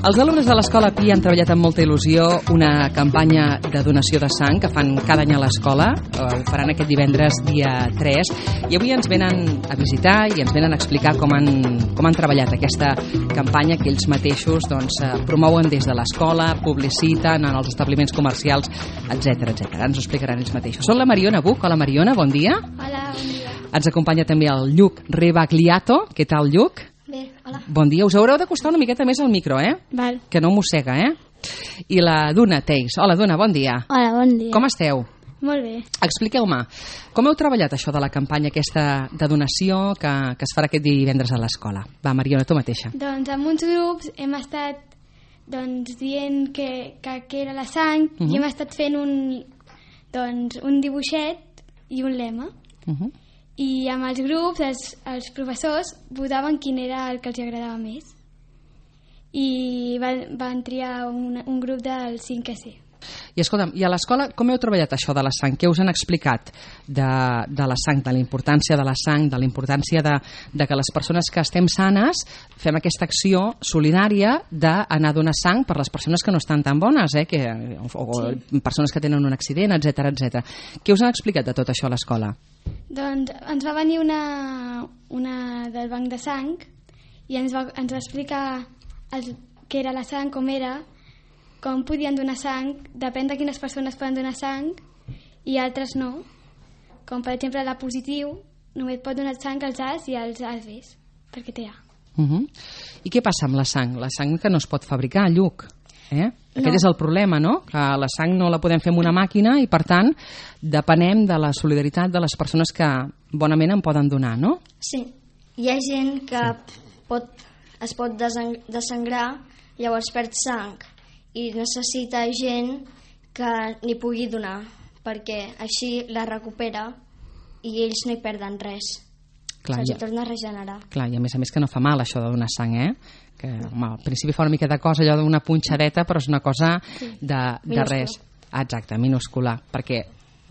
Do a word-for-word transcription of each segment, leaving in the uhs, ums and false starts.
Els alumnes de l'Escola Pi han treballat amb molta il·lusió una campanya de donació de sang que fan cada any a l'escola. Ho faran aquest divendres dia tres i avui ens venen a visitar i ens venen a explicar com han, com han treballat aquesta campanya que ells mateixos doncs, promouen des de l'escola, publiciten en els establiments comercials, etcètera etcètera. Ens ho explicaran ells mateixos. Són la Mariona Buch. Hola, Mariona, bon dia. Hola, bon dia. Ens acompanya també el Lluc Rebagliato. Què tal, Lluc? Bé, hola. Bon dia. Us haureu d'acostar una miqueta més al micro, eh? Val. Que no mossega, eh? I la Duna Teis. Hola, Duna, bon dia. Hola, bon dia. Com esteu? Molt bé. Expliqueu-me, com heu treballat això de la campanya aquesta de donació que, que es farà aquest divendres a l'escola? Va, Mariona, tu mateixa. Doncs amb uns grups hem estat doncs, dient que, que, que era la sang uh -huh. i hem estat fent un, doncs, un dibuixet i un lema. Uh -huh. I amb els grups, els, els professors votaven quin era el que els agradava més. I van, van triar un, un grup del cinc C. I escolta'm, i a l'escola com heu treballat això de la sang? Què us han explicat de, de la sang, de la importància de la sang, de la importància de, de que les persones que estem sanes fem aquesta acció solidària d'anar a donar sang per les persones que no estan tan bones, eh? que, o, o sí. persones que tenen un accident, etcètera etcètera. Què us han explicat de tot això a l'escola? Doncs ens va venir una, una del banc de sang i ens va, ens va explicar el, què era la sang, com era, com podien donar sang, depèn de quines persones poden donar sang i altres no. Com per exemple la positiu només pot donar sang als A's i als A B's, perquè té A. Uh -huh. I què passa amb la sang? La sang que no es pot fabricar, Lluc. Eh? Aquest no. és el problema, no? Que la sang no la podem fer amb una màquina i, per tant, depenem de la solidaritat de les persones que bonament en poden donar, no? Sí. Hi ha gent que sí. pot, es pot desangrar, llavors perd sang, i necessita gent que n'hi pugui donar, perquè així la recupera i ells no hi perden res. Clar, se'ls ja. torna a regenerar. Clar, i a més a més que no fa mal això de donar sang, eh? Que home, al principi fa una mica de cosa, allò d'una punxadeta, però és una cosa sí. de, de res. Exacte, minúscula, perquè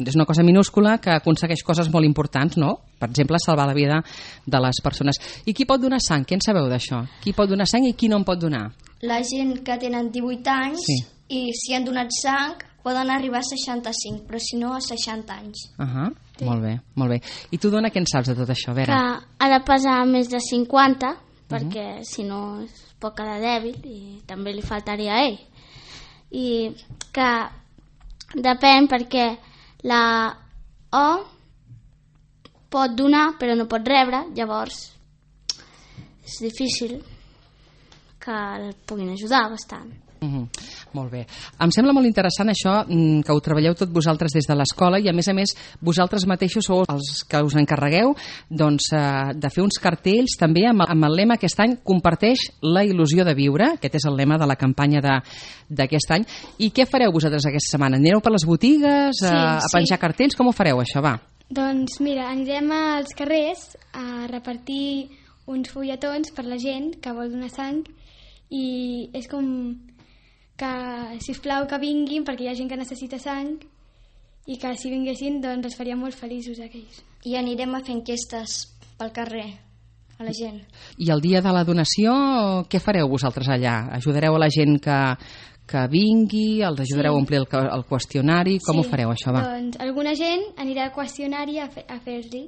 és una cosa minúscula que aconsegueix coses molt importants, no? Per exemple, salvar la vida de les persones. I qui pot donar sang? Què en sabeu d'això? Qui pot donar sang i qui no en pot donar? La gent que tenen divuit anys sí. i si han donat sang poden arribar a seixanta-cinc, però si no a seixanta anys. Uh -huh. sí. Molt bé, molt bé. I tu, Dona, què en saps de tot això, Vera? Que ha de pesar més de cinquanta, perquè uh -huh. si no es pot quedar dèbil i també li faltaria a ell. I que depèn perquè la O pot donar però no pot rebre, llavors és difícil que el puguin ajudar bastant. Uh -huh. Molt bé. Em sembla molt interessant això, que ho treballeu tot vosaltres des de l'escola i a més a més vosaltres mateixos sou els que us encarregueu doncs, de fer uns cartells també amb el, amb el lema aquest any comparteix la il·lusió de viure, aquest és el lema de la campanya d'aquest any. I què fareu vosaltres aquesta setmana? Anireu per les botigues sí, a, a penjar sí. cartells? Com ho fareu això, va? Doncs mira, anirem als carrers a repartir uns fulletons per la gent que vol donar sang i és com que, sisplau, que vinguin perquè hi ha gent que necessita sang i que si vinguessin doncs els faria molt feliços aquells. I anirem a fer enquestes pel carrer a la gent. I el dia de la donació què fareu vosaltres allà? Ajudareu a la gent que, que vingui? Els ajudareu sí. a omplir el, el qüestionari? Com sí. ho fareu això, va? Doncs alguna gent anirà al qüestionari a, fe, a fer-li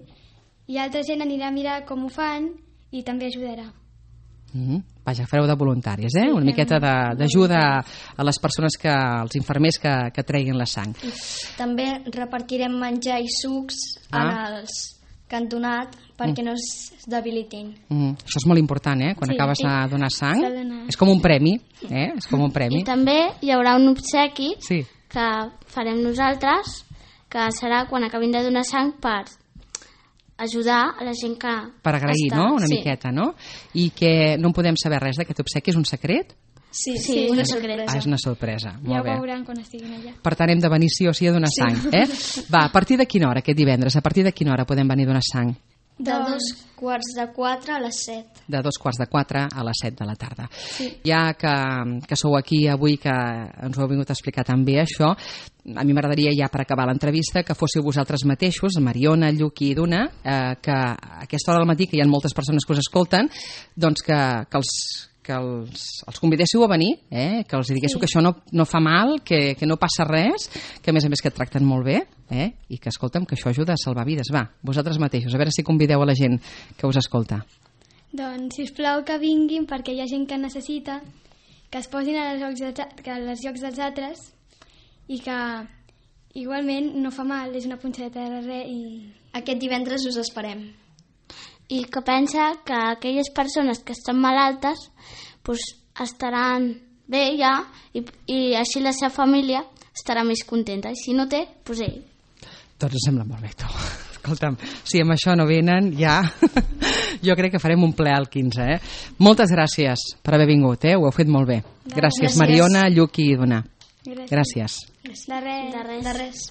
i altra gent anirà a mirar com ho fan i també ajudarà. Mm -hmm. Vaja, fareu de voluntaris, eh? Una miqueta d'ajuda a les persones, que, als infermers que, que treguin la sang. I també repartirem menjar i sucs ah. en els que han donat perquè mm. no es debilitin. Mm. Això és molt important, eh? Quan sí, acabes sí. de donar sang, és com un premi, eh? És com un premi. I també hi haurà un obsequi sí. que farem nosaltres, que serà quan acabin de donar sang per ajudar a la gent que per agrair, està. no? Una sí. miqueta, no? I que no en podem saber res d'aquest obsequi, és un secret? Sí, sí, sí, una és sorpresa. Ah, és una sorpresa. Ja Molt ho bé. veuran quan estiguin allà. Per tant, hem de venir sí o sí a donar sí. sang, eh? Va, a partir de quina hora aquest divendres? A partir de quina hora podem venir a donar sang? De dos quarts de quatre a les set. De dos quarts de quatre a les set de la tarda. Sí. Ja que, que sou aquí avui, que ens ho heu vingut a explicar tan bé això, a mi m'agradaria ja per acabar l'entrevista que fóssiu vosaltres mateixos, Mariona, Lluc i Duna, eh, que a aquesta hora del matí, que hi ha moltes persones que us escolten, doncs que, que els que els, els convidéssiu a venir, eh? Que els diguéssiu sí. que això no, no fa mal, que, que no passa res, que a més a més que et tracten molt bé, eh? I que, escolta'm, que això ajuda a salvar vides. Va, vosaltres mateixos, a veure si convideu a la gent que us escolta. Doncs, sisplau, que vinguin, perquè hi ha gent que necessita, que es posin als llocs, de, que als llocs dels altres i que igualment no fa mal, és una punxadeta de res i... Aquest divendres us esperem. I que pensa que aquelles persones que estan malaltes pues, estaran bé ja i, i així la seva família estarà més contenta. I si no té, doncs ell. Doncs em sembla molt bé, tu. Escolta'm, si amb això no venen, ja... Jo crec que farem un ple al quinze, eh? Moltes gràcies per haver vingut, eh? Ho heu fet molt bé. Gràcies, gràcies. Mariona, Lluc i Dona. Gràcies. Gràcies. De res. De res. De res.